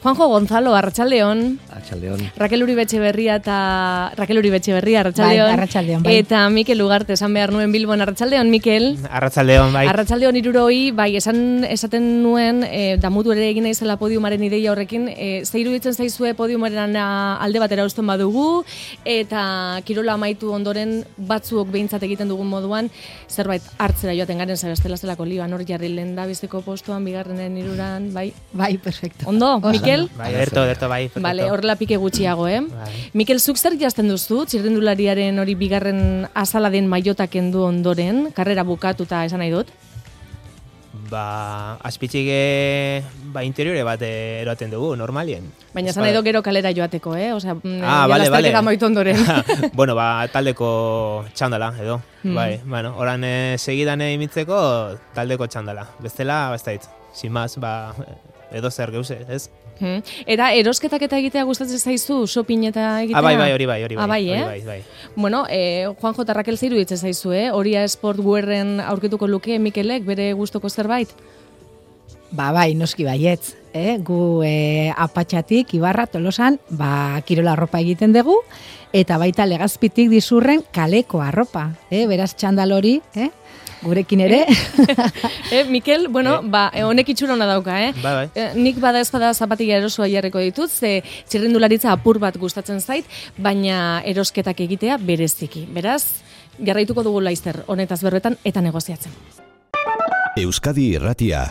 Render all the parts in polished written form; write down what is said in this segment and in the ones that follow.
Juanjo Gonzalo, arratsaldeon. Arratsaldeon. Raquel Uribe Etxeberria, arratsaldeon. Bai, arratsaldeon, bai. Eta Mikel Ugarte, esan behar nuen Bilbon, arratsaldeon, Mikel. Arratsaldeon, bai. Arratsaldeon 60, bai, esaten nuen, damutu ere egin naizela podiumaren ideia horrekin, ze iruditzen zaizue podiumaren alde batera uzten badugu, eta kirola amaitu ondoren batzuok behintzat egiten dugun moduan, zerbait hartzera joaten garen zabestela zelako lioan, hor jarri lehendabiziko postuan, bigarrenen hiruran, bai. Bai, perfecto. Ondo, Mikel? Bai, ederto, bai. Perfecto. Vale, horrela pike gutxiago, Bai. Mikel, zuk zer jazten duzu, txirrindulariaren hori bigarren azala den mailota kendu ondoren, karrera bukatuta esan nahi dut? Azpitzik interiore bat eroaten dugu, normalien. Baina esan nahi dut gero kalera joateko, Osea, vale. Amaitu ondoren. Bueno, taldeko txandala, edo. Bai, bueno, oran segidan imitzeko taldeko txandala. Bestela, bastait, sin más, edo zer geuse, ez? Eta erosketak eta egitea gustatzen zaizu, shopping eta egitea? Hori bai. Bai. Bueno, Juanjo eta Raquel zeiru ditzen zaizu, Horia Sport Wearren aurkituko luke Mikelek bere gustoko zerbait? Bai, noski baietz. Gu Apatxatik, Ibarra, Tolosan, kirola arropa egiten dugu, eta baita Legazpitik Dizurren kaleko arropa. Beraz txandal hori, gurekin ere. Mikel, bueno, honek itxura hona dauka, Bai. Nik bada ez bada zapatila erosoa jarriko ditut, ze txirrindularitza apur bat gustatzen zait, baina erosketak egitea bereziki. Beraz, jarraituko dugu laizter honetaz berbetan eta negoziatzen. Euskadi Irratia.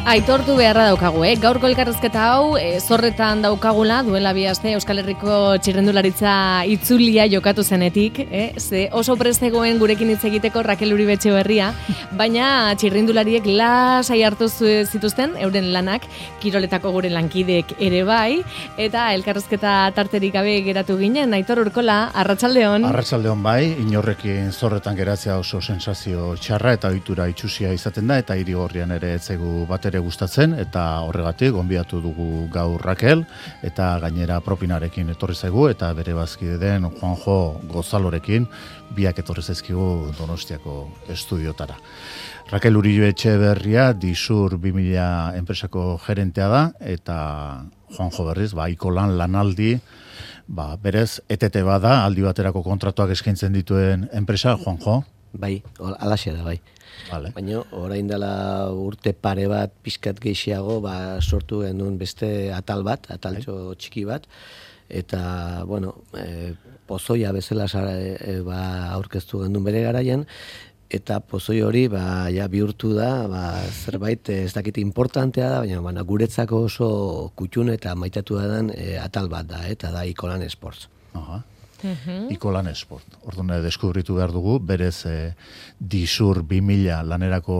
Aitortu beharra daukagu, Gaurko elkarrezketa hau zorretan daukagula, duela 2 aste Euskal Herriko txirrendularitza itzulia jokatu zenetik, ze oso prestegoen gurekin hitz egiteko Raquel Uribe Etxeberria, baina txirrindulariek lasai hartu zituzten euren lanak, kiroletako gure lankideek ere bai, eta elkarrezketa tarterik gabe geratu ginen. Aitor Urkola, arratsaldeon. Arratsaldeon bai, inorrekin zorretan geratzea oso sensazio txarra eta ohitura itsusia izaten da, eta Irigorrian ere etzegu batere gustatzen, eta horregatik gonbidatu dugu gaur Raquel, eta gainera propinarekin etorri zaigu, eta bere bazkide den Juanjo Gonzalorekin biak etorri zaizkigu Donostiako estudiotara. Raquel Uribe Etxeberria Disur 2000 enpresako gerentea da, eta Juanjo berriz, Ikolan lanaldi, berez, ETT bada, aldi baterako kontratuak eskaintzen dituen enpresa, Juanjo? Bai, alaxea da, bai. Vale. Baina orain dela urte pare bat pizkat gehiago sortu genuen beste ataltxo txiki bat, eta pozoia bezala aurkeztu genuen bere garaian, eta pozoi hori bihurtu da zerbait ez dakit importantea da, baina guretzako oso kutxun eta maitatu da atal bat da, eta da Ikolan Sports. Aha. Ikolan Sport. Orduan deskubritu behar dugu, berez Disur 2000 lanerako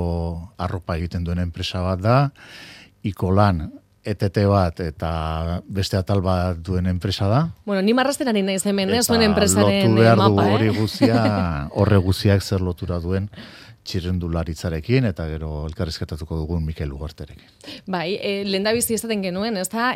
arropa egiten duen enpresa bat da, Ikolan ETT bat eta beste atal bat duen enpresa da. Bueno, ni marrastenari naiz hemen, zuen enpresaren mapa. Lotu behar dugu mapa, hori guzia, horre guziak zer lotura duen txirrendularitzarekin, eta gero elkarrizketatuko dugun Mikel Ugarterekin. Bai, lehendabizi esaten genuen, ezta,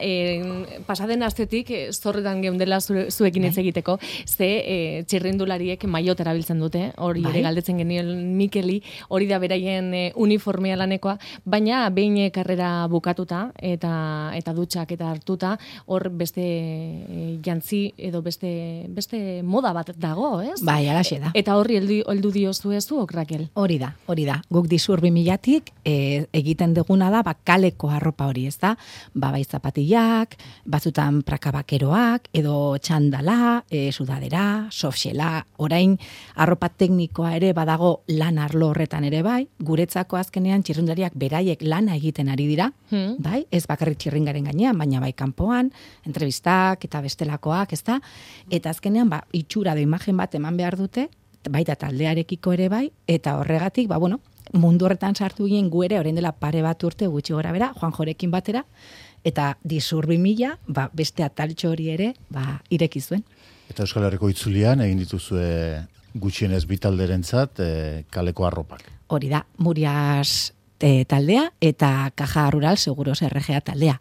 pasaden astetik zorretan geundela zuekin hitz egiteko, ze txirrendulariek maiot erabiltzen dute, hori ere galdetzen genien Mikeli, hori da beraien uniformea lanekoa, baina behin karrera bukatuta, eta dutxak eta hartuta, hor beste jantzi edo beste moda bat dago, ez? Bai, alaxe da. Eta horri heldu diozu ez zuok, Raquel? Hori da. Guk Disur 2000-tik egiten duguna da kaleko arropa hori, ez da? Bai zapatillak, batzutan prakabakeroak, edo txandala, sudadera, softshella, orain arropa teknikoa ere badago lan arlo horretan ere bai, guretzako azkenean txirrindulariak beraiek lana egiten ari dira, bai? Ez bakarrik txirringaren gainean, baina bai kanpoan, entrevistak eta bestelakoak, ez da? Eta azkenean itxura da imagen bat eman behar dute, baita taldearekiko ere bai, eta horregatik, mundu horretan sartu ginen gu ere, orain dela pare bat urte gutxi gora bera, Juanjorekin batera, eta Disur 2000, beste ataltxo hori ere, ireki zuen. Eta Euskal Herriko itzulian egin dituzue gutxienez bitalderentzat kaleko arropak. Hori da, Murias taldea eta Caja Rural Seguros RGA taldea.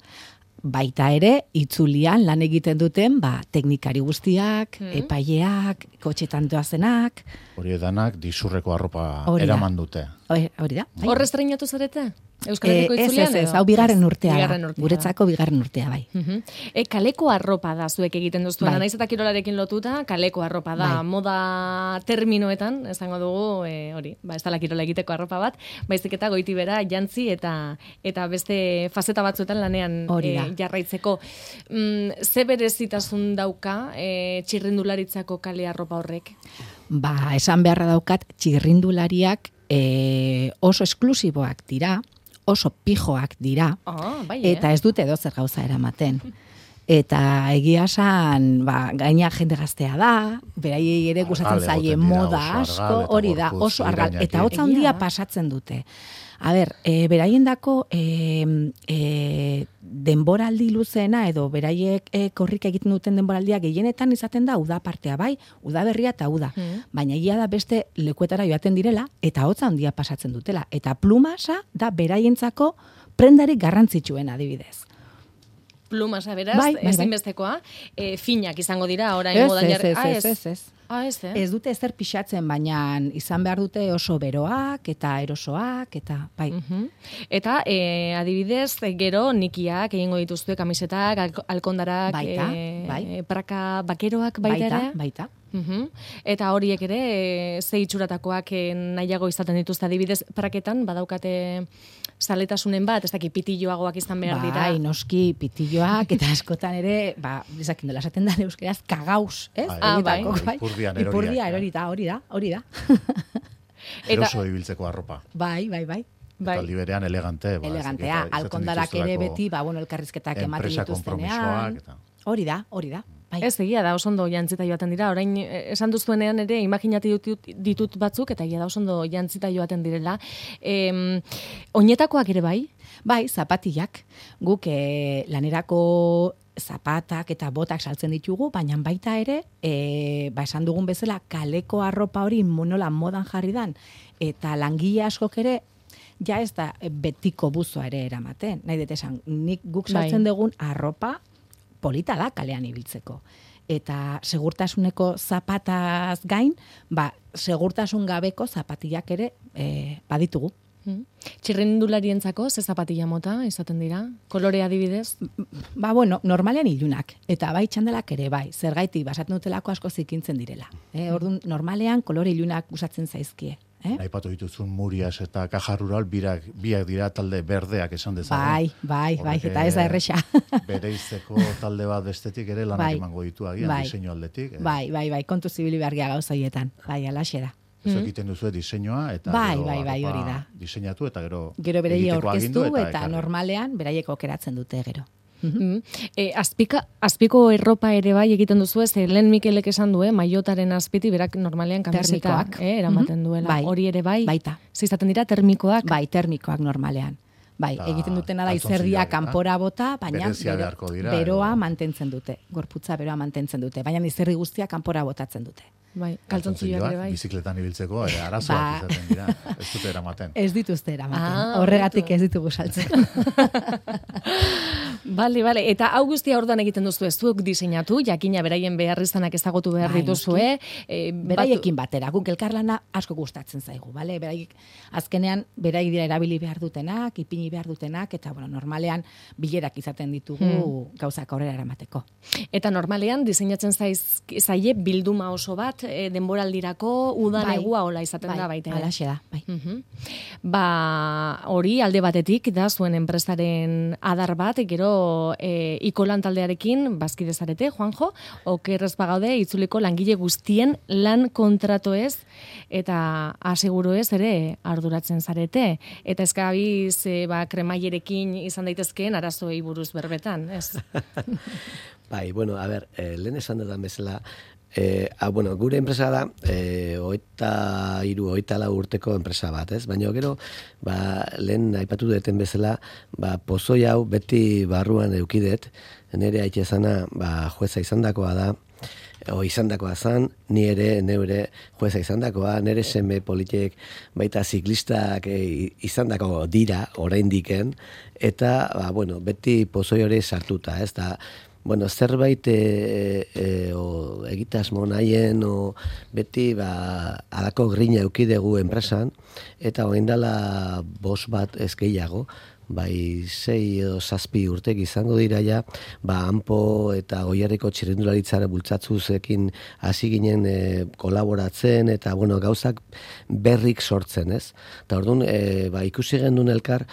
baita ere, itzulian lan egiten duten, teknikari guztiak, epaileak, kotxetan doazenak. Hori edanak disurreko arropa Hori da. eraman dute. Hori da. Hor estreinatu zarete? Euskal Herriko Ez, itzulian? hau bigarren urtea Bigarren da. urtea. Guretzako bigarren urtea, bai. Kaleko arropa da zuek egiten duztuena, Bai. naiz eta kirolarekin lotuta, kaleko arropa da, Bai. moda terminoetan, esango dugu, hori, ez dala kirola egiteko arropa bat, baizik eta goiti bera jantzi eta beste fazeta batzuetan lanean Hori da. jarraitzeko. Ze berezitasun dauka txirrindularitzako kale arropa horrek? Esan beharra daukat, txirrindulariak oso esklusiboak dira, oso pijoak dira, Bai, eta ez dute edozer gauza eramaten. Eta egia esan, gaina jende gaztea da, beraiei ere gustatzen Argal zaie egoten dira, moda oso asko, argal eta hori da, gorputz oso argal, irainak eta dira. hotza handia Egia da. pasatzen dute. A ber, beraiendako denboraldi luzeena edo beraiek korrika egiten duten denboraldia gehienetan izaten da uda partea, bai, uda berria eta uda. Baina egia da beste lekuetara joaten direla eta hotza handia pasatzen dutela. Eta plumasa da beraientzako prendarik garrantzitsuen adibidez. Plumasa beraz, Bai. ezinbestekoa, finak izango dira, orain Ez, modan jarri. ez. Ez. Ez dute ezer pixatzen, baina izan behar dute oso beroak eta erosoak eta bai. Eta adibidez, gero nikiak egingo dituzue kamisetak, alkondarak, Baita, bai. praka bakeroak baita ere. Baita. Eta horiek ere ze itxuratakoak nahiago izaten dituzte adibidez praketan badaukate zaletasunen bat, ez dakit pitilloagoak izan behar dira. Bai, noski pitilloak eta askotan ere, esakin dela esaten da euskeraz, kagauz, ez? Bai. Ipurdian Ipurdia eroriak, hori da. Eroso ibiltzeko arropa. Bai. Taldi berean elegante. Elegantea, alkondarak ere beti, elkarrizketak ematen dituztenean. Hori da. Bai. Ez egia da, oso ondo jantzita joaten dira. Orain, esan duzuenean ere, imaginati ditut batzuk, eta egia da oso ondo jantzita joaten direla. Oinetakoak ere bai? Bai, zapatillak. Guk lanerako zapatak eta botak saltzen ditugu, baina baita ere, esan dugun bezala, kaleko arropa hori nola modan jarri dan, eta langile askok ere, ja ez da betiko buzoa ere eramaten. Nahi dut esan, guk saltzen dugun arropa, polita da kalean ibiltzeko. Eta segurtasuneko zapataz gain, segurtasun gabeko zapatillak ere baditugu. Txirrindularientzako ze zapatilla mota izaten dira? Kolore adibidez? Normalean ilunak. Eta bai txandalak ere bai. Zergaitik basatzen dutelako asko zikintzen direla. Orduan, normalean kolore ilunak usatzen zaizkie. Aipatu dituzun Murias eta Caja Rural biak dira talde berdeak esan dezagun. Bai, eta ez da erresa. Bereizeko talde bat bestetik ere lanak emango ditu agian, diseinu aldetik. Bai, kontu zibili behargia gauzaietan. Bai, alaxe da. Ez egiten duzu diseinua eta bai, hori da. Diseinatu eta gero beraiek aurkeztu eta normalean beraiek okeratzen dute gero. Azpiko erropa ere bai egiten duzu, ez lehen Mikelek esan du, maiotaren azpiti berak normalean kamisetak eramaten duela. Hori ere bai? Baita. Zizaten dira termikoak? Bai, termikoak normalean. Bai, egiten dutena da izerdia kanpora bota, baina beroa mantentzen dute. Gorputza beroa mantentzen dute, baina izerri guztia kanpora botatzen dute. Bai, kaltzontzioak ere bai. Bizikletan ibiltzeko arazoak izaten dira. Ez dute eramaten. Ez dituzte eramaten. Horregatik ez ditugu saltzen. Bale, eta hau guztia orduan egiten duzu ez zuek diseinatu, jakina beraien beharrizanak ezagutu behar dituzue. Beraiekin batera, guk elkarlana asko gustatzen zaigu, bale? Azkenean, beraik dira erabili behar dutenak, ipini behar dutenak, eta normalean bilerak izaten ditugu gauzak aurrera eramateko. Eta normalean diseinatzen zaie bilduma oso bat, denboraldirako udan negua hola izaten da baita. Alaxe da, bai. Hori alde batetik da zuen enpresaren adar bat, gero ikolan taldearekin bazkide zarete, Juanjo, okerrez bagaude itzuliko langile guztien lan kontratu ez, eta aseguru ez ere arduratzen zarete. Eta eskabiz kremailerekin izan daitezkeen arazoei buruz berbetan, ez? Bai, lehen esan dudan bezala, gure enpresa da, 23-24 urteko enpresa bat, ez? Baina gero, lehen aipatu duten bezala, pozoi hau beti barruan eukidet, nire aitezana jueza izandakoa da, izandakoa zan, ni ere neure jueza izandakoa, nire seme politek baita ziklistak izandako dira, oraindiken, eta, beti pozoi hori sartuta, ez da, zerbait egitasmo nahien, beti, alako grina eukidegu enpresan, eta oindala 5 bat ez gehiago, bai 6 edo 7 urtek izango dira ja, Anpo eta Goierriko txirrindularitzara bultzatzuzekin hasi ginen kolaboratzen, eta gauzak berrik sortzen, ez? Eta orduan, ikusi gendun elkar,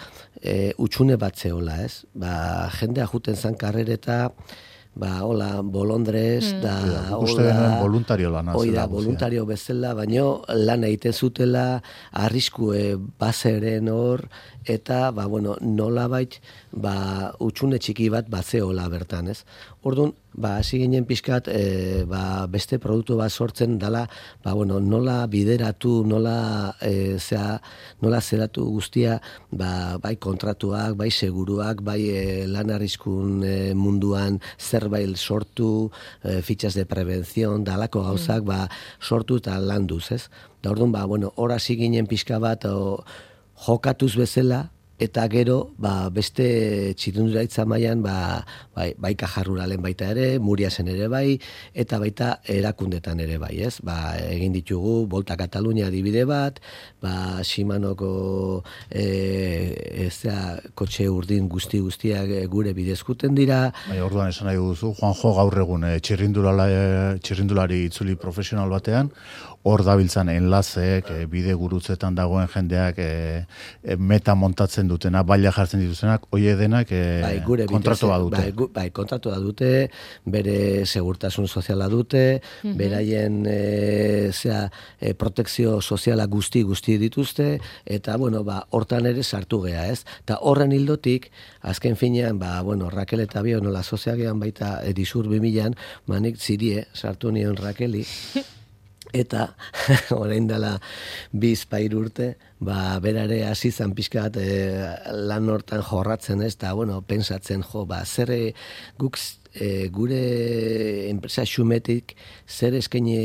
utxune bat zehola, ez? Jendea juten zan karrereta, bolondrez, da, voluntario lana. Voluntario bezala, baino lan egiten zutela, arriskue bazeren hor, eta, nolabait, utxune txiki bat batzeola bertan, ez? Orduan, hasi ginen pixkat, beste produktu bat sortzen dala, nola bideratu, nola zeratu guztia, bai kontratuak, bai seguruak, bai lan arriskun munduan zerbait sortu, fitxas de prevenzion, dalako gauzak, sortu eta landuz, ez? Da orduan, hor hasi ginen pixka bat, jokatuz bezala, eta gero, beste txirrindularitza mailan, bai Kajarruralen baita ere, Muriasen ere bai, eta baita erakundetan ere bai, ez? Egin ditugu, Volta Katalunia adibide bat, Shimanoko kotxe urdin guztiak gure bidezkuten dira. Orduan esan nahi duzu, Juanjo gaur egun txirrindulari itzuli profesional batean, hor dabiltzan enlazeek, bide gurutzetan dagoen jendeak meta montatzen dutena, baila jartzen dituzenak, hoie denak kontratua dute. Bai, kontratua dute, bere segurtasun soziala dute, beraien protekzio soziala guzti dituzte, eta, hortan ere sartu gea, ez? Eta horren hildotik, azken finean, Raquel eta Bio, nola soziagean baita edizur 2000an, manik zirie, sartu nion Raqueli, eta orain dela 2-3 urte, berare hasi zan pixkat lan hortan jorratzen, ez da, pensatzen, zer guk gure enpresa xumetik zer eskaini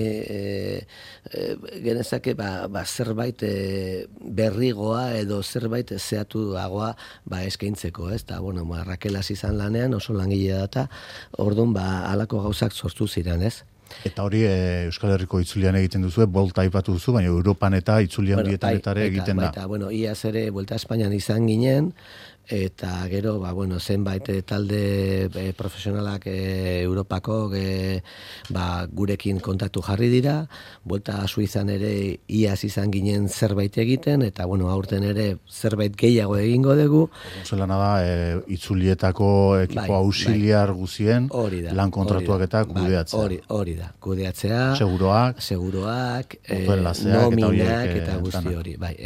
genezake zerbait berrigoa edo zerbait zeatuagoa eskaintzeko, ez da, Raquel hasi zan lanean, oso langile data, orduan halako gauzak sortu ziren, ez? Eta hori Euskal Herriko itzulian egiten duzu, Volta aipatu duzu, baina Europan eta itzulian bietanetare egiten da. Iaz ere Vuelta Espainian izan ginen, eta gero, zenbait talde profesionalak Europako gurekin kontaktu jarri dira, Vuelta Suizan ere iaz izan ginen zerbait egiten, eta aurten ere zerbait gehiago egingo dugu. Zelana da, itzulietako ekipo auxiliar guzien, lan kontratuak eta kudeatzea. Hori da, kudeatzea, seguroak, nominak eta guzti hori, bai,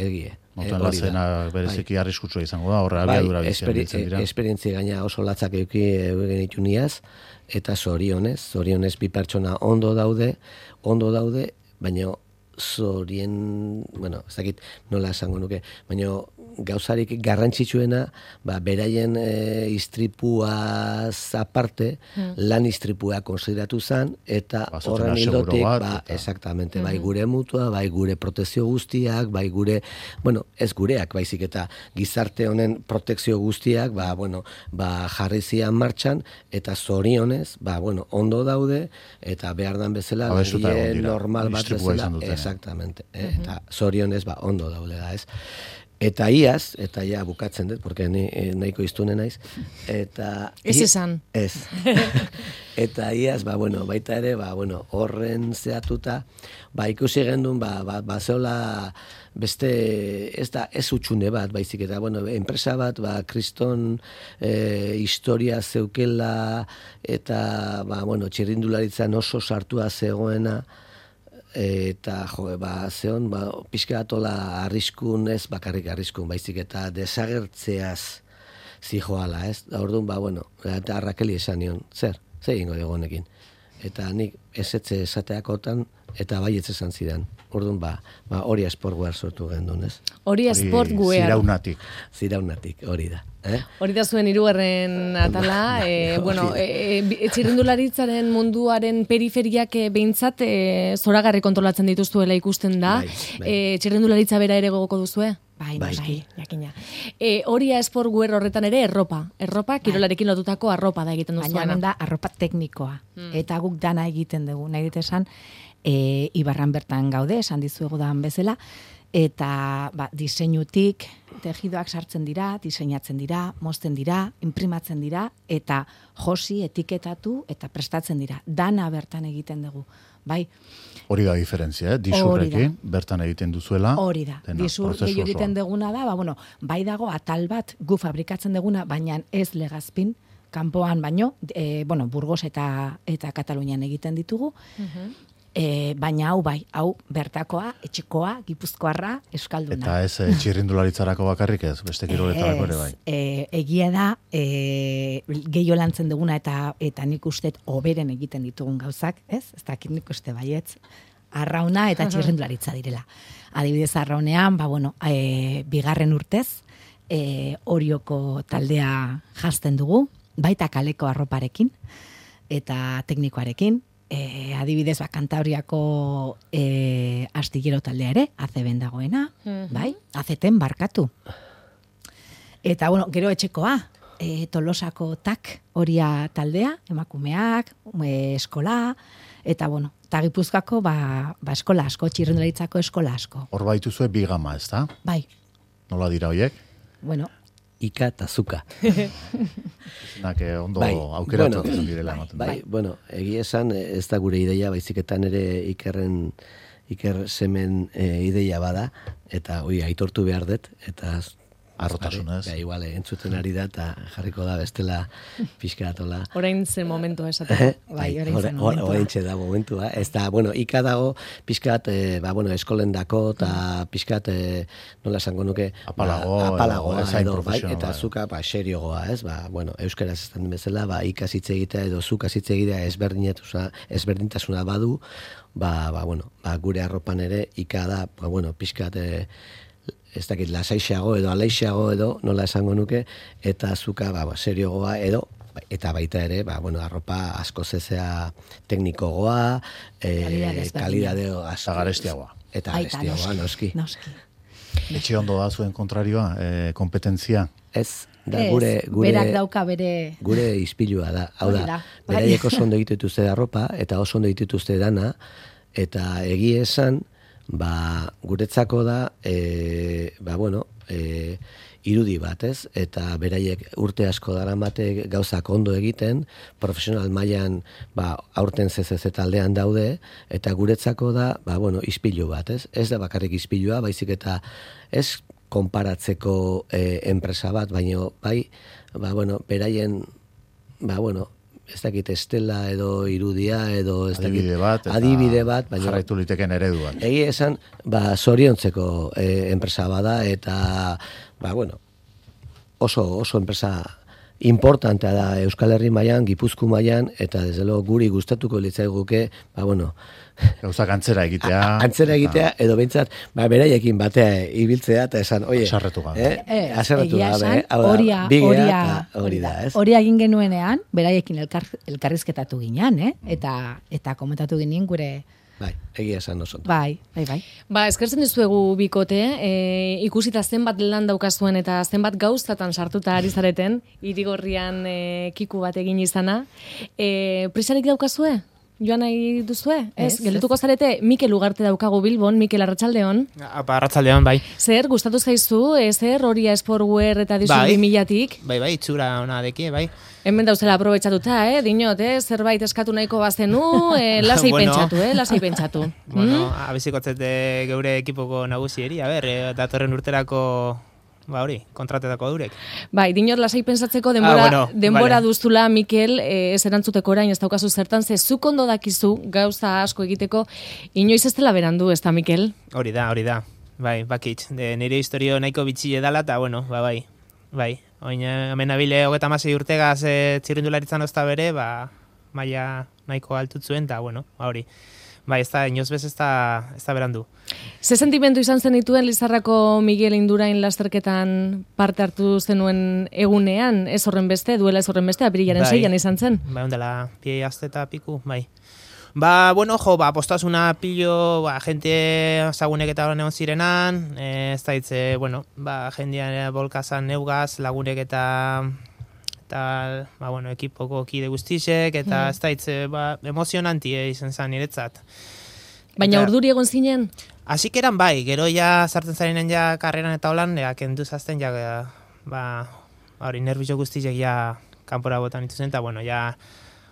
Motoen lazena bereziki arriskutsua izango da, horre abiadura bizian ditzen dira. Esperientzia gaina oso latzak euken ituniaz, eta zorionez 2 pertsona ondo daude, baina ez dakit nola esango nuke, baina gauzarik garrantzitsuena, beraien istripuaz aparte, lan istripua konsideratu zen, eta horren hildotik, exactamente, bai gure mutua, bai gure protekzio guztiak, bai gure, ez gureak, baizik eta gizarte honen protekzio guztiak, jarri zian martxan, eta zorionez, ondo daude, eta behar dan bezala, normal bat bezala, exactamente, eta zorionez, ondo daude da, ez? Eta iaz, eta ja bukatzen dut, porque nahiko iztune naiz, eta... Ez esan. Ez. Eta iaz, baita ere, horren zehatuta, ikusi gendun, zehola beste, ez utxune bat, baizik eta, enpresa bat, kriston historia zeukela, eta, txirrindularitzan oso sartua zegoena, eta zeon pixka atola arriskun, ez bakarrik arriskun, baizik eta desagertzeaz zijoala, ez? Da orduan, eta Raqueli esan nion, zer egingo dugu honekin? eta nik ezetze esateakotan, eta baietz esan zidan. Orduan, Oria Sportwear sortu gendun, ez? Oria Sportwear. Ziraunatik, hori da. Hori da zuen hirugarren atala, txirrindularitzaren munduaren periferiak behintzat zoragarri kontrolatzen dituztuela ikusten da. Txirrindularitza bera ere gogoko duzue? Bai, jakina. Oria Sportwear horretan ere erropa, kirolarekin lotutako arropa da egiten duzuena. Baina da arropa teknikoa, eta guk dana egiten dugu, nahi dit esan, Ibarran bertan gaude, esan dizuegu dan bezala, eta diseinutik tejidoak sartzen dira, diseinatzen dira, mozten dira, imprimatzen dira, eta josi, etiketatu, eta prestatzen dira. Dana bertan egiten dugu, bai? Hori da diferentzia, disurrekin, bertan egiten duzuela. Hori da, disur egiten duguna da, bai dago atal bat gu fabrikatzen duguna, baina ez legazpin, kanpoan baino, Burgos eta Katalunian egiten ditugu, baina hau bertakoa, etxekoa, gipuzkoarra, euskalduna. Eta ez txirrindularitzarako bakarrik ez, beste kiroletarako ere bai. Egia da, gehiago lantzen duguna eta nik ustet hoberen egiten ditugun gauzak, ez? Ez dakit nik uste baietz, arrauna eta txirrindularitza direla. Adibidez arraunean, bigarren urtez, Orioko taldea jazten dugu, baita kaleko arroparekin eta teknikoarekin, adibidez Kantabriako astillero taldea ere, ACB-en dagoena, bai, ACT-en barkatu. Eta, gero etxekoa, Tolosako TAK Oria taldea, emakumeak, eskola, eta, eta Gipuzkoako, eskola asko, txirrindularitzako eskola asko. Hor baituzue bi gama, ez da? Bai. Nola dira hoiek? Ika eta zuka. Ondo aukeratu direla ematen. Egia esan, ez da gure ideia, baiziketan ere Iker semen ideia bada, eta aitortu behar dut, eta arrotasunez. Igual, entzuten ari da, eta jarriko da bestela pixkaratola. Orain zen momentua esaten. Orain da momentua. Ez da, Ika dago pixkat, eskolen dako, eta pixkat, nola esango nuke, apalagoa, eta zuka, seriogoa, ez? Euskaraz ez den bezala, Ika zitze egitea edo zuka zitze egitea ezberdintasuna badu, gure arropan ere, Ika da, pixkat, ez dakit, lasaixeago edo aleixeago edo, nola esango nuke, eta zuka, seriogoa edo, eta baita ere, arropa asko zezea teknikogoa, kalidadeo eta garestiagoa. Eta garestiagoa, noski. Etxe ondo da zuen kontrarioa, kompetentzia? Ez, da berak dauka bere... Gure izpilua da. Hau da, beraiek oso ondo dituzte arropa, eta oso ondo dituzte dana, eta egie esan, guretzako da, irudi bat, ez? Eta beraiek urte asko daramate gauzak ondo egiten, profesional mailan aurten CCC taldean daude, eta guretzako da, ispilu bat, ez? Ez da bakarrik ispilua, baizik eta ez konparatzeko enpresa bat, baina beraien, ez dakit estela edo irudia edo adibide bat, jarraitu liteken eredu bat. Egia esan, zoriontzeko enpresa bada, eta oso enpresa importantea da Euskal Herri mailan, Gipuzku mailan, eta desde luego guri gustatuko litzaiguke, gauzak antzera egitea. Antzera egitea, edo behintzat, beraiekin batea ibiltzea, eta esan, aserretu gabe. Aserretu gabe, hori da, ez? Hori egin genuenean, beraiekin elkarrizketatu ginean, eta komentatu ginen gure... Egia esan oso. Bai. Eskertzen dizuegu bikote, ikusita zenbat lan daukazuen eta zenbat gauzatan sartuta ari zareten, Irigorrian kiku bat egin izana. Prisarik daukazue? Joan nahi duzue? Gelituko zarete, Mikel Ugarte daukagu Bilbon, Mikel Arratsaldeon. Arratsaldeon, bai. Zer, gustatu zaizu, Oria Sportwear eta dizu 2000-tik? Bai, itxura ona deki, bai. Hemen dauzela aprobetxatuta, dinot, zerbait eskatu nahiko bazenu, lasai pentsatu. Abizikotzete geure ekipoko nagusieri, datorren urterako... hori, kontratetako durek. Dinot lasai pentsatzeko denbora duztula, Mikel, ez erantzuteko orain ez daukazu zertan, ze zuk ondo dakizu gauza asko egiteko, inoiz ez dela berandu, ez da, Mikel? Hori da. Bakitz, nire historio nahiko bitxile dala, eta, bai. Oin, hemen abile 36 urtegaz txirrindularitzan ozta bere, maia nahiko altut zuen, eta, bueno, hori. Bai, ez da, inoz bez ez da berandu. Ze sentimendu izan zenituen Lizarrako Miguel Indurain lasterketan parte hartu zenuen egunean, ez horren beste, duela ez horren beste, apirilaren 6an izan zen? Bai, ondela, pie aste eta piku, bai. Ba, bueno, postasuna pilo, gente zagunek eta egon zirenan, ez da hitze, bueno, jendean bolkazan neugaz, lagunek eta bueno, ekipoko kide guztisek, eta ez da hitze, emozionantie izan zen niretzat. Baina urduri egon zinen? Asik eran bai, gero ja sartzen zarenen ja karreran eta holan, kendu zazten ja, hori nervizio guztisek ja kanpora botan ituzen, eta bueno, ja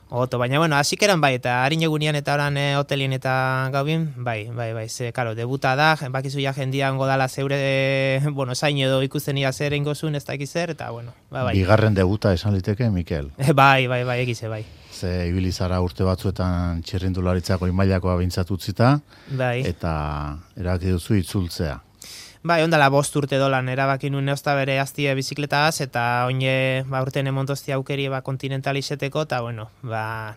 oto, baina bueno, asik eran bai, eta harin egunian eta oran hotelien eta gaubin, bai, ze, karo, debuta da, bakizu ja jendian godala zeure, bueno, zain edo ikusten ia zer ingozun, ez da ekizer, eta bueno, bai. Bigarren debuta esan liteke, Mikel. Bai, egize, bai. Ze ibilizara urte batzuetan txirrindularitzako imailakoa bintzat utzita, bai. Eta erabaki duzu itzultzea. Bai, ondala 5 urte dolan, erabaki nuen neozta bere aztie bizikletagaz, eta oine urten emontozti aukeri kontinental izeteko, eta bueno,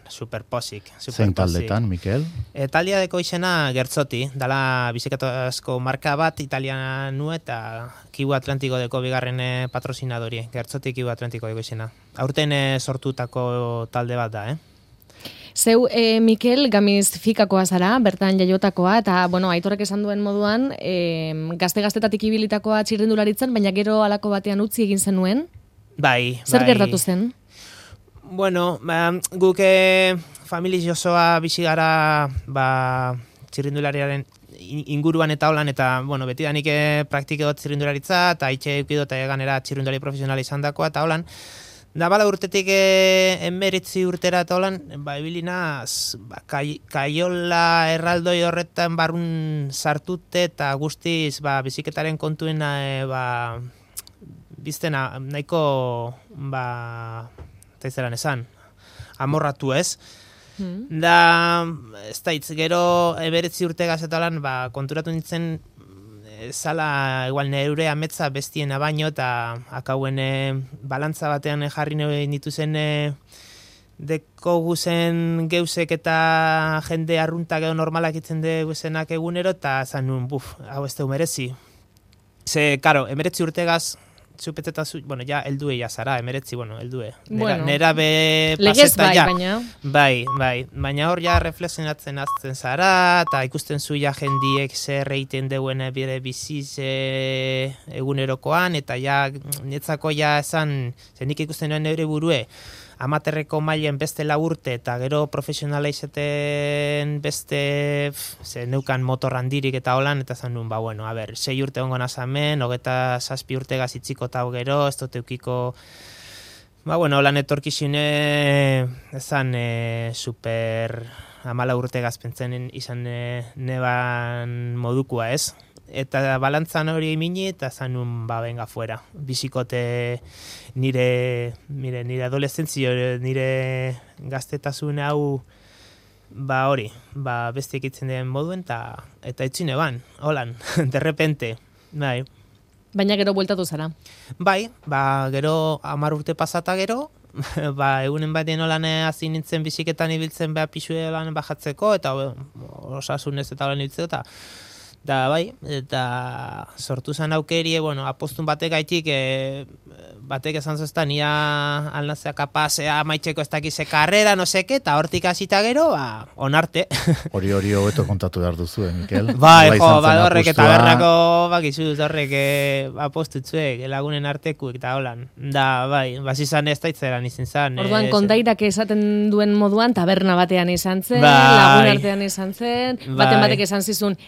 superposik. Zein taldetan, Mikel? Taldia deko izena Gertzoti, dala bizikletazko marka bat Italiana nu eta Kibu Atlantiko deko bigarren patrozinadori, Gertzoti Kibu Atlantiko deko izena. Aurten sortutako talde bat da, Zeu, Mikel, gamizfikakoa zara, bertan jaiotakoa, eta, bueno, Aitorrek esan duen moduan, gazte-gaztetatik ibilitakoa txirrindularitzen, baina gero halako batean utzi egin zenuen? Bai. Zer gertatu zen? Bueno, guk familia osoa bizi gara, txirrindulariaren inguruan eta holan, eta, bueno, betidanik praktikeot txirrindularitza, eta itxe eukidot ganera txirrindulari profesionala izan dakoa, eta holan, da bala urtetik emeritzi urtera eta holan, ibilinaz, kaiola erraldoi horretan barrun sartute eta guztiz, biziketaren kontuen, biztena, nahiko, taizeran esan, amorratu ez. Da, ez da hitz, gero emeritzi urte gazetalan, konturatu nintzen, zala igual neure ametza bestiena baino eta akauen balantza batean jarri nituzen deko guzen geusek eta jende arruntak edo normalak itzen de guzenak egunero eta zan nuen, hau ez deu merezi. Ze, karo, emeretzi urtegaz txupeteta bueno, ja, eldue ja zara, emeretzi, eldue. Nera be paseta ja. Bai, baina hor ja reflexionatzen azten zara, eta ikusten zu ja jendiek zer egiten deuen bire biziz egunerokoan, eta ja, netzako ja esan, zenik ikusten nuen neure burue, amaterreko mailen beste urte eta gero profesionala izeten beste neukan motor handirik eta holan, eta zan nuen, 6 urte ongo nazamen, 27 urte gazitziko eta gero, ez dut eukiko, holan etorkizune, ezan super 14 urte gazpentzen izan neban modukua ez. Eta balantzan hori mini eta zanun benga fuera. Bizikote nire adolescentzio, nire gaztetasun hau hori, beste ekitzen den moduen eta etxine ban, holan, derrepente, bai. Baina gero bueltatu zara? Bai, gero 10 urte pasata gero, egunen batean holan hasi nintzen biziketan ibiltzen pisue lan bajatzeko, eta osasunez eta holan ibiltzeko, eta da, bai, eta sortu zen aukeri, apostun batek gaitik, batek esan zoztan, ia alnazea kapazea maitzeko ez dakize karrera, no seke, eta hortik hasita gero, onarte. Hori hobeto kontatu behar duzu, Mikel? Bai, horrek eta berrako, bakizu, horrek apostutzuek, lagunen artekuek, eta holan. Da, bai, bazizan ez daitzeran izan zen. Orduan, kondairak esaten duen moduan, taberna batean izan zen, lagun artean izan zen, batek esan zizun,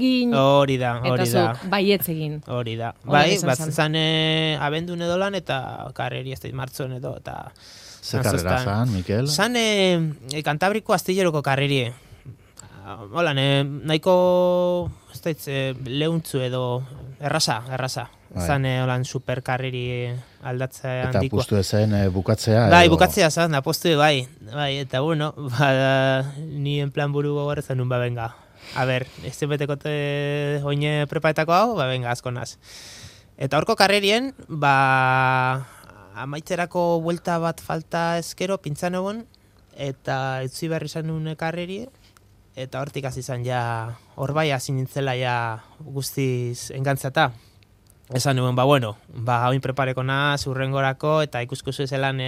hori da. Eta zuk, baietz egin. Hori da. Bai, batzen abendun edo lan eta karreri ez da martzon edo. Ze karrera zan, Mikel? Zan Kantabriko astilleroko karreri. Hola, nahiko ez da lehuntzu edo erraza. Zan holan superkarreri aldatzea handikoa. Eta apustu ezen bukatzea? Bai, bukatzea zan, apustu bai. Eta bueno, ni en plan buru gogorrezan nun benga. A ber, ez zenbetekote oine prepaetako hau, benga, asko naz. Eta horko karrerien, amaitzerako buelta bat falta ezkero, pintzan egon, eta utzi behar izan nuen ekarreri, eta hortik hasi izan ja, hor bai hasi nintzela ja guztiz engantzata. Esan nuen, hauin prepareko naz, urrengorako, eta ikuskuzu zelan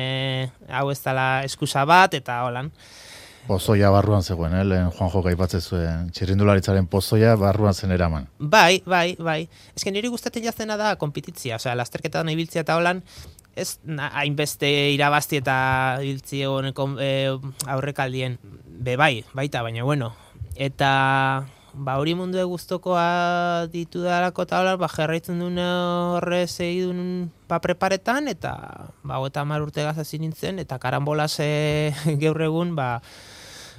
hau ez dela eskusa bat, eta holan. Pozoia barruan zegoen, lehen Juanjo aipatzen zuen, txirrindularitzaren pozoia barruan zen eraman. Bai. Ez que niri gustatzen jaztena da konpititzia, osea, lasterketan ibiltzia eta holan, ez hainbeste irabazti eta ibiltzi aurrekaldien, baita, baina bueno. Eta hori mundu guztokoa ditu darako eta holan, jarraitzen duen horre segidun preparetan, eta 30 urte gazazin nintzen, eta karambolaz gaur egun,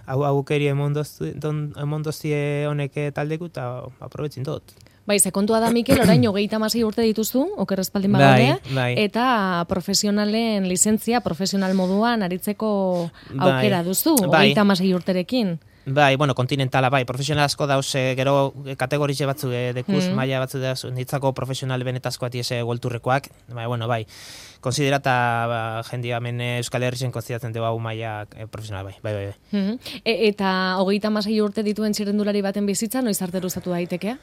aukeri emondoztie honek taldeku, eta aprobetzin dut. Bai, kontua da, Mikel, orain 36 urte dituzu, okerrezpaldin bagaude, eta profesionalen lizentzia, profesional moduan aritzeko aukera duzu, 36 urterekin. Bai, kontinentala, profesional asko dauz, gero kategorize batzu, dekuz, maila batzu dauz, nitzako profesional benetazkoa tiese golturrekoak, bai, konsiderata jendia hemen Euskal Herrien konsideratzen dugu hau maila profesional, bai. Eta 36 urte dituen txirrendulari baten bizitza, noiz arte luzatu daiteke?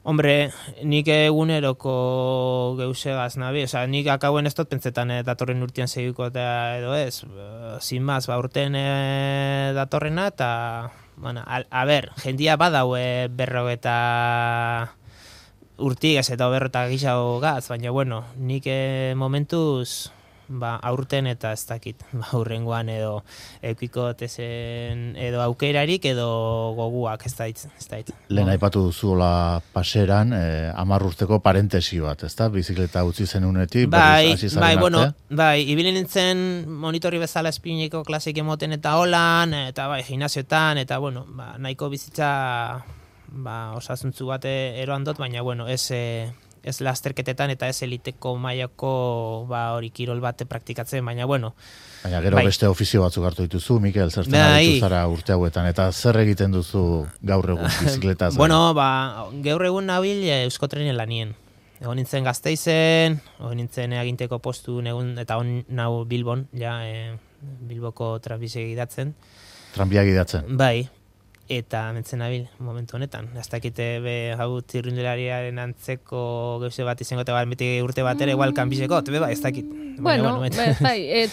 Hombre, nik eguneroko geusegaz nabi, nik akauen ez dut pentsetan datorren urtean segiko eta edo ez, sin más, urtean datorrena, eta, jendia badau berrogeta urtik ez eta berrota gixago gaz, baina, nik momentuz aurten eta ez dakit, urrengoan edo eukiko tezen edo aukerarik edo goguak, ez dait. Lehen aipatu duzuela paseran, 10 urteko parentesi bat, ez da? Bizikleta utzi zen unetik, berriz hasi zaren arte? Ibili nintzen monitorri bezala espiniko klasik emoten eta holan, eta gimnasioetan, eta nahiko bizitza osasuntzu bat eroan dut, baina ez lasterketetan eta ez eliteko mailako hori kirol bate praktikatzen, baina Baina gero beste ofizio batzuk hartu dituzu, Mikel, zertzen aritu zara urte hauetan, eta zer egiten duzu gaur egun bizikletaz? Gaur egun nabil Euskotrenen lanien. Egon nintzen Gasteizen, egon nintzen aginteko postu, eta on nau Bilbon, Bilboko tranbizia gidatzen. Tranbia gidatzen? Bai. Eta mentzen nabil, momentu honetan. Ez dakite hau tirrindulariaren antzeko gauze bat izango eta beti urte bat ere igual kanbizeko, ez dakit.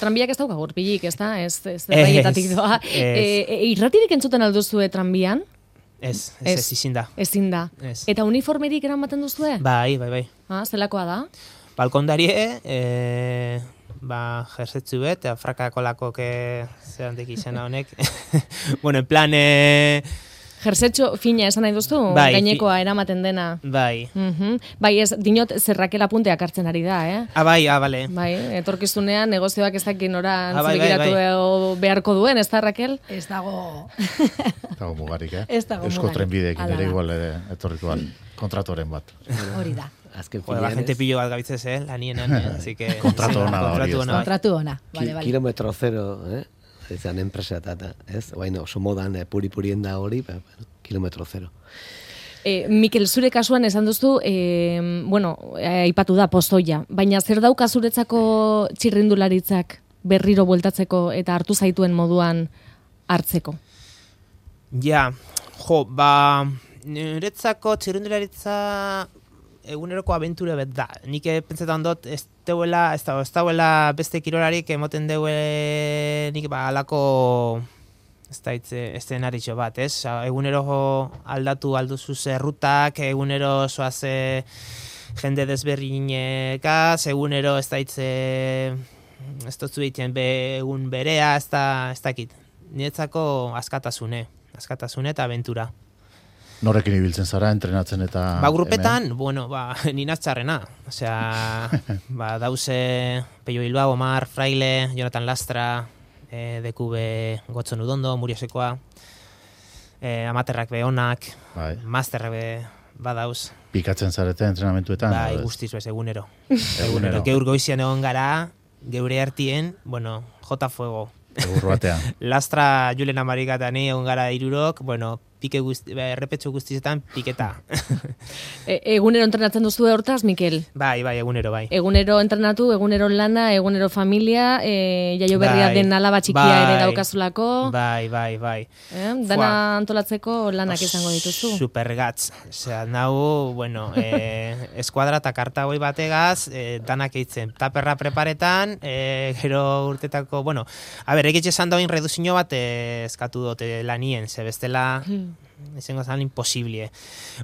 Tranbiak ez dauka gurpilik, ez da? Ez baietatik doa. Irratirik entzuten alduzu tranbian? Ez, ezin da. Ezin da. Eta uniformerik eramaten duzue? Bai. Zelakoa da? Balkondarie, jersetzu bet, frakako lakok zerantek izena honek. En plan... Jersetxo fina esan nahi duztu? Gainekoa eramaten dena? Bai. Bai, ez, dinot, zerrakela punteak hartzen ari da, Bale. Bai, etorkizunean negozioak ez dakin oran zirikiratu beharko duen, ez da, Raquel? Ez dago... Ez dago mugarik, Ez dago mugarik. Eusko trenbideekin ere igual etorriko kontratoren bat. Hori da. Azken la gente pillo bat gabitzez, lanienan, así que... Kontratu ona da hori, Kontratu ona, vale. Kilometro zero, ezan enpresa eta, ez? Oso modan puri-purien da hori, kilometro zero. Mikel, zure kasuan esan duzu, aipatu da pozoia, baina zer dauka zuretzako txirrindularitzak berriro bueltatzeko eta hartu zaituen moduan hartzeko? Niretzako txirrindularitza eguneroko abentura bet da. Nik pentsetan dut ez dauela beste kirolarik emoten deue nik alako eszenaritxo bat, ez? Egunero aldatu alduzu zerrutak, egunero zoaze jende desberrinekaz, egunero ez dutzu egiten egun berea, ez dakit. Niretzako askatasune eta abentura. Norekin ibiltzen zara, entrenatzen eta... Grupetan, ninatxarrena. Osea, dauze Peio Bilbao, Omar, Fraile, Jonathan Lastra, Dekube Gotzon Udondo, Muriosekoa, amaterrak onak, masterrak badauz. Pikatzen zarete entrenamentuetan? Guztiz bez, egunero. Geur goizian egon gara, geure hartien, J Fuego. Egur batean. Lastra Julen Amarikatani egon gara 3, errepetxo guztietan piketa. Egunero entrenatzen duzu hortaz, Mikel? Bai, egunero, bai. Egunero entrenatu, egunero lana, egunero familia, jaio berria den alaba txikia ere daukazulako. Bai. Dana antolatzeko lanak izango dituzu. Supergatz. Osea, nau, bueno, eskuadra eta kartagoi bategaz, danak eitzen. Taperra preparetan, gero urtetako, bueno, egitxe esan dagoin reduzio bat eskatu dute lanien, ze bestela izango zan imposible.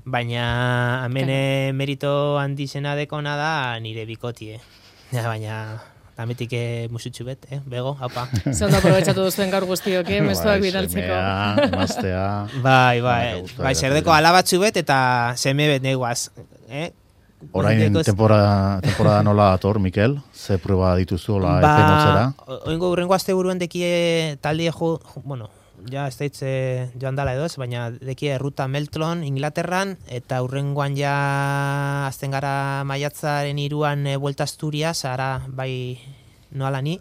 Baina hemen merito handizena dekona da nire bikotie. Baina dametik musutxu bet, bego, haupa. Zondo aprobetsatu duzuen gaur guztiok, mezuak bidaltzeko. Semea, maztea. Bai, zerdeko alabatzu bet eta seme bet neguaz. Orain temporada nola ator, Mikel? Ze prueba dituzu, hola, epe motzera? Oingo urrengo azte buruen dekie talde bueno, ja ez daitze joan dala edoz, baina dekie ruta Meltlon, Inglaterran, eta urrengoan ja azten gara maiatzaren 3an Vuelta Asturias, ara bai noala ni.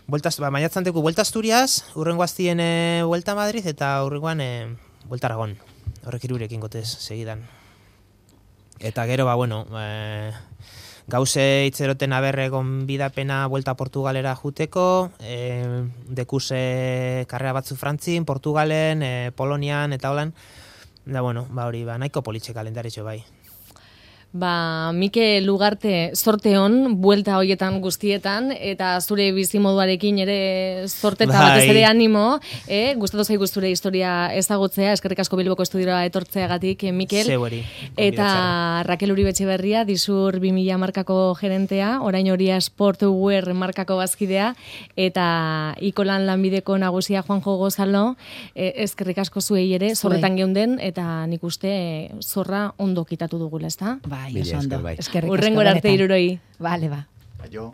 Maiatzan deku Vuelta Asturias, urrengo aztien Vuelta Madrid, eta urrengoan Vuelta Aragon. Horrek irurekin gotez, segidan. Eta gero, gauze itzeroten aberre gonbidapena Vuelta Portugalera juteko, dekuse karrera batzu Frantzin, Portugalen, Polonian, eta holan. Da, hori, nahiko politxe kalendaritxo bai. Mikel Ugarte, zorte hon, buelta hoietan guztietan, eta zure bizimoduarekin ere zorte eta batez ere animo, gustatu zaigu zure historia ezagutzea, eskerrik asko Bilboko estudiora etortzeagatik, Mikel. Zeueri. Eta Raquel Uribe Etxeberria, Disur 2000 markako gerentea, orain Horia Sportwear markako bazkidea, eta Ikolan lanbideko nagusia Juanjo Gozalo, eskerrik asko zuei ere, zorretan geunden, eta nik uste zorra ondo kitatu dugula, ezta? Bai, oso ondo. Bai. Eskerrik asko. Urrengora arte iruroi. Vale, ba. Aio.